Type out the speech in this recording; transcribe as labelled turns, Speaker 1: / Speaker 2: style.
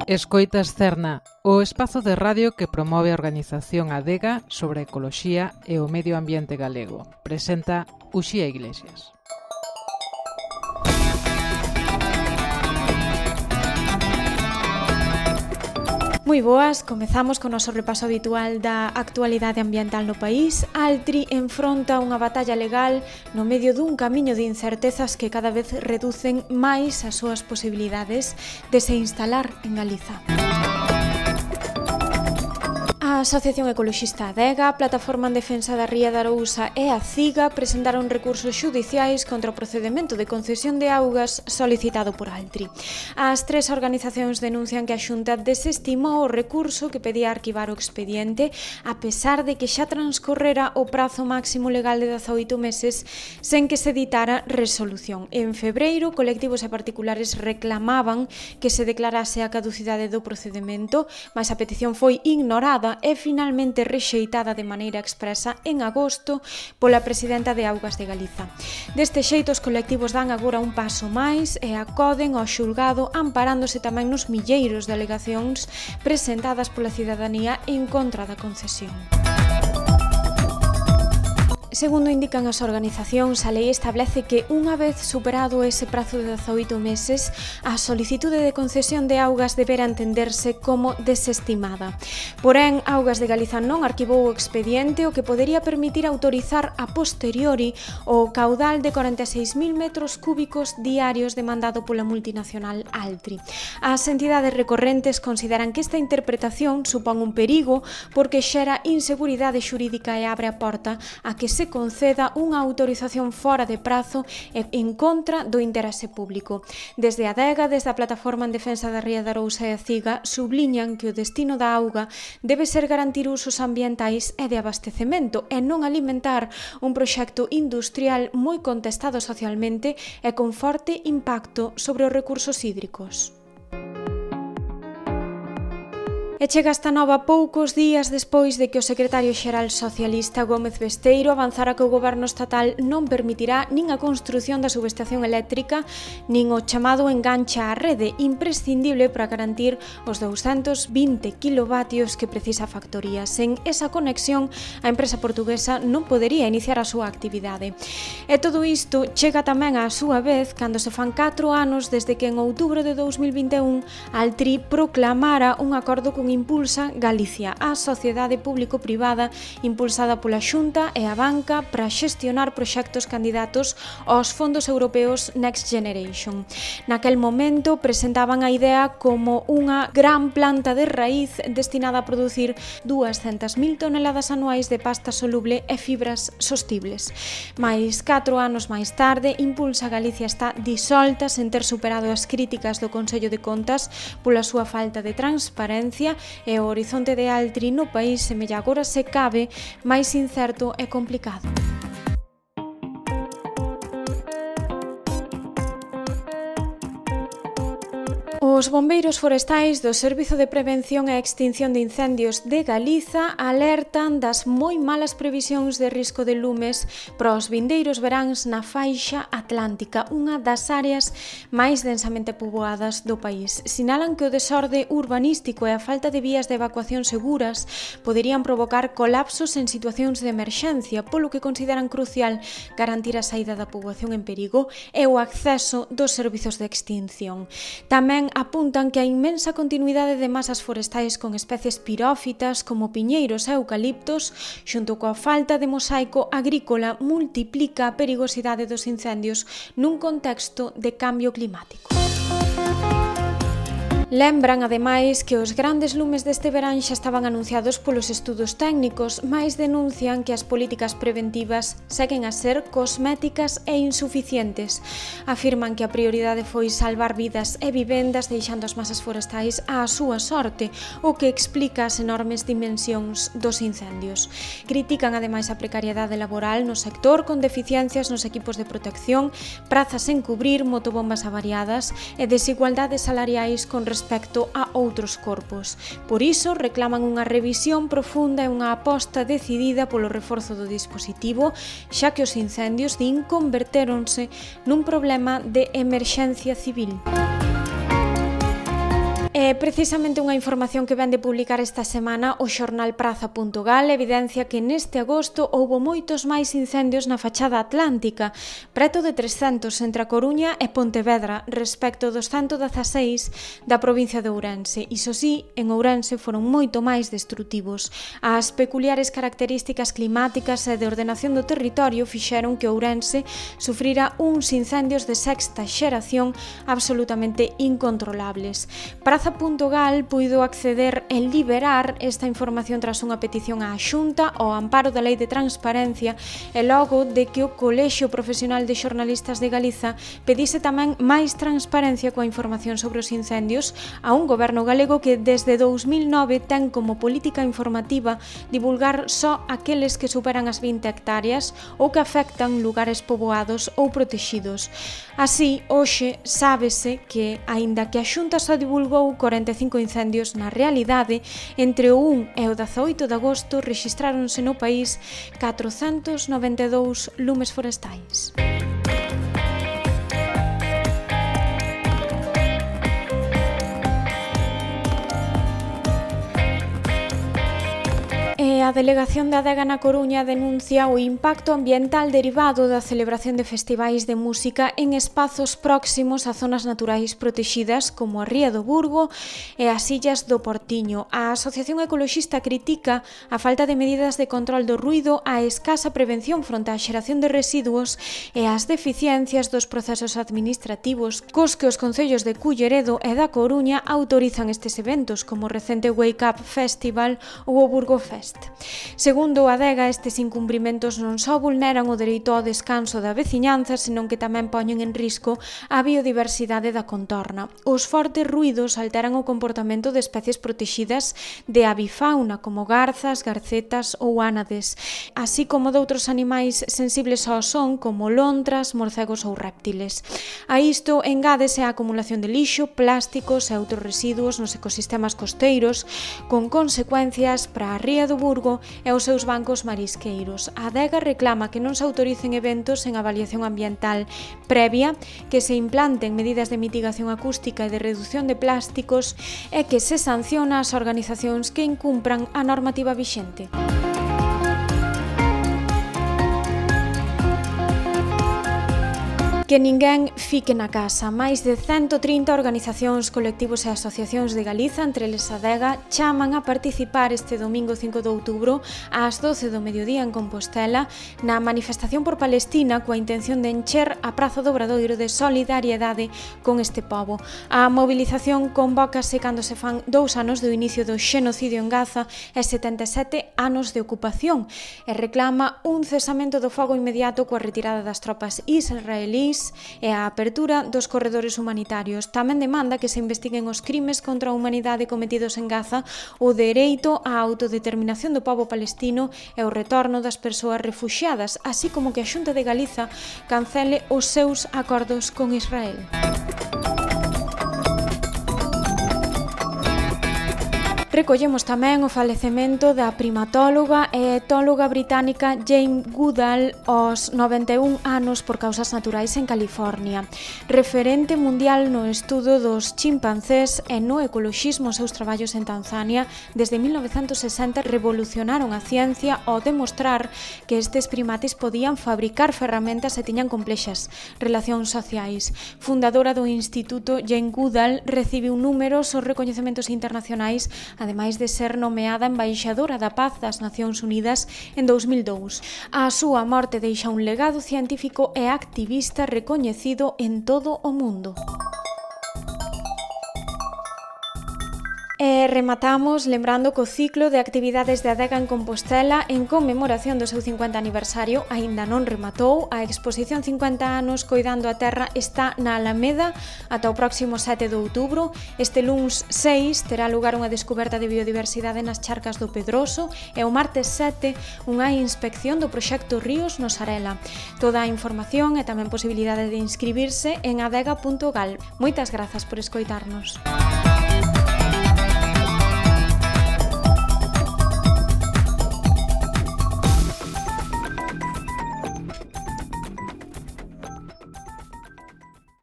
Speaker 1: Escoitas Cerna, o espazo de radio que promove a organización Adega sobre a ecoloxía e o medio ambiente galego. Presenta Uxía Iglesias.
Speaker 2: Moi boas, comezamos con o noso repaso habitual da actualidade ambiental no país. Altri enfronta unha batalla legal no medio dun camiño de incertezas que cada vez reducen máis as súas posibilidades de se instalar en Galiza. A Asociación Ecoloxista Adega, a Plataforma en Defensa da Ría da Arousa e a CIGA presentaron recursos xudiciais contra o procedemento de concesión de augas solicitado por Altri. As tres organizacións denuncian que a Xunta desestimou o recurso que pedía arquivar o expediente a pesar de que xa transcorrera o prazo máximo legal de 18 meses sen que se ditara resolución. En febreiro, colectivos e particulares reclamaban que se declarase a caducidade do procedemento, mas a petición foi ignorada e finalmente rexeitada de maneira expresa en agosto pola presidenta de Augas de Galiza. Deste xeito, os colectivos dan agora un paso máis e acoden ao xulgado amparándose tamén nos milleiros de alegacións presentadas pola cidadanía en contra da concesión. Segundo indican as organizacións, a lei establece que unha vez superado ese prazo de 18 meses, a solicitude de concesión de augas deberá entenderse como desestimada. Porén, Augas de Galiza non arquivou o expediente, o que podería permitir autorizar a posteriori o caudal de 46.000 metros cúbicos diarios demandado pola multinacional Altri. As entidades recorrentes consideran que esta interpretación supón un perigo porque xera inseguridade xurídica e abre a porta a que se conceda unha autorización fora de prazo e en contra do interese público. Desde a Adega, desde a Plataforma en Defensa da Ría da Arousa e a CIGA, subliñan que o destino da auga debe ser garantir usos ambientais e de abastecemento e non alimentar un proxecto industrial moi contestado socialmente e con forte impacto sobre os recursos hídricos. E chega esta nova poucos días despois de que o secretario xeral socialista Gómez Besteiro avanzara que o goberno estatal non permitirá nin a construción da subestación eléctrica nin o chamado enganche á rede, imprescindible para garantir os 220 kilovatios que precisa a factoría. Sen esa conexión, a empresa portuguesa non podería iniciar a súa actividade. E todo isto chega tamén á súa vez cando se fan 4 anos desde que en outubro de 2021 Altri proclamara un acordo con Impulsa Galicia, a sociedade público-privada impulsada pola Xunta e a banca para xestionar proxectos candidatos aos fondos europeos Next Generation. Naquel momento presentaban a idea como unha gran planta de raíz destinada a producir 200.000 toneladas anuais de pasta soluble e fibras sostibles. Mais 4 anos máis tarde, Impulsa Galicia está disolta sen ter superado as críticas do Consello de Contas pola súa falta de transparencia e o horizonte de Altri no país semella agora se cabe máis incerto e complicado. Os bombeiros forestais do Servizo de Prevención e Extinción de Incendios de Galiza alertan das moi malas previsións de risco de lumes para os vindeiros veráns na faixa atlántica, unha das áreas máis densamente poboadas do país. Sinalan que o desorde urbanístico e a falta de vías de evacuación seguras poderían provocar colapsos en situacións de emerxencia, polo que consideran crucial garantir a saída da poboación en perigo e o acceso dos servizos de extinción. Tamén apuntan que a inmensa continuidade de masas forestais con especies pirófitas como piñeiros e eucaliptos, xunto coa falta de mosaico agrícola, multiplica a perigosidade dos incendios nun contexto de cambio climático. Lembran, ademais, que os grandes lumes deste verán xa estaban anunciados polos estudos técnicos, mais denuncian que as políticas preventivas seguen a ser cosméticas e insuficientes. Afirman que a prioridade foi salvar vidas e vivendas deixando as masas forestais á súa sorte, o que explica as enormes dimensións dos incendios. Critican, ademais, a precariedade laboral no sector con deficiencias nos equipos de protección, prazas en cubrir, motobombas avariadas e desigualdades salariais con respecto a outros corpos. Por iso, reclaman unha revisión profunda e unha aposta decidida polo reforzo do dispositivo, xa que os incendios din convertéronse nun problema de emerxencia civil. E Precisamente unha información que ven de publicar esta semana o xornal Praza.gal evidencia que neste agosto houbo moitos máis incendios na fachada atlántica, preto de 300 entre a Coruña e Pontevedra, respecto dos 116 da provincia de Ourense. Iso sí, en Ourense foron moito máis destrutivos. As peculiares características climáticas e de ordenación do territorio fixeron que Ourense sufrira uns incendios de sexta xeración absolutamente incontrolables. Praza.gal puido acceder e liberar esta información tras unha petición á Xunta ao amparo da Lei de Transparencia e logo de que o Colexio Profesional de Xornalistas de Galiza pedise tamén máis transparencia coa información sobre os incendios a un goberno galego que desde 2009 ten como política informativa divulgar só aqueles que superan as 20 hectáreas ou que afectan lugares poboados ou protexidos. Así, hoxe sábese que, aínda que a Xunta só divulgou 45 incendios, na realidade, entre o 1 e o 18 de agosto rexistráronse no país 492 lumes forestais. A Delegación da Adega na Coruña denuncia o impacto ambiental derivado da celebración de festivais de música en espazos próximos a zonas naturais protexidas como a Ría do Burgo e as Illas do Portiño. A Asociación Ecoloxista critica a falta de medidas de control do ruído, a escasa prevención fronte á xeración de residuos e as deficiencias dos procesos administrativos cos que os concellos de Culleredo e da Coruña autorizan estes eventos como o recente Wake Up Festival ou o Burgo Fest. Segundo a Adega, estes incumprimentos non só vulneran o dereito ao descanso da veciñanza, senón que tamén poñen en risco a biodiversidade da contorna. Os fortes ruídos alteran o comportamento de especies protexidas de avifauna, como garzas, garcetas ou ánades, así como de outros animais sensibles ao son, como lontras, morcegos ou réptiles. A isto engádese a acumulación de lixo, plásticos e outros residuos nos ecosistemas costeiros, con consecuencias para a Ría do Burgo e os seus bancos marisqueiros. A Adega reclama que non se autoricen eventos en avaliación ambiental previa, que se implanten medidas de mitigación acústica e de reducción de plásticos e que se sanciona as organizacións que incumpran a normativa vixente. Que ninguén fique na casa. Máis de 130 organizacións, colectivos e asociacións de Galiza, entre eles a Adega, chaman a participar este domingo 5 de outubro ás 12 do mediodía en Compostela na manifestación por Palestina coa intención de encher a Praza do Obradoiro de solidariedade con este pobo. A mobilización convócase cando se fan 2 anos do inicio do xenocidio en Gaza e 77 anos de ocupación e reclama un cesamento do fogo inmediato coa retirada das tropas israelís e a apertura dos corredores humanitarios. Tamén demanda que se investiguen os crimes contra a humanidade cometidos en Gaza, o dereito á autodeterminación do pobo palestino e o retorno das persoas refuxiadas, así como que a Xunta de Galiza cancele os seus acordos con Israel. Recollemos tamén o falecemento da primatóloga e etóloga británica Jane Goodall aos 91 anos por causas naturais en California. Referente mundial no estudo dos chimpancés e no ecoloxismo, os seus traballos en Tanzania desde 1960 revolucionaron a ciencia ao demostrar que estes primates podían fabricar ferramentas e tiñan complexas relacións sociais. Fundadora do instituto, Jane Goodall recibiu numerosos recoñecementos internacionais, ademais de ser nomeada embaixadora da Paz das Nacións Unidas en 2002. A súa morte deixa un legado científico e activista recoñecido en todo o mundo. E rematamos lembrando que o ciclo de actividades de Adega en Compostela en conmemoración do seu 50 aniversario aínda non rematou. A exposición 50 anos Coidando a Terra está na Alameda ata o próximo 7 de outubro. Este luns 6 terá lugar unha descoberta de biodiversidade nas charcas do Pedroso e o martes 7 unha inspección do proxecto Ríos no Sarela. Toda a información e tamén posibilidade de inscribirse en adega.gal. Moitas grazas por escoitarnos.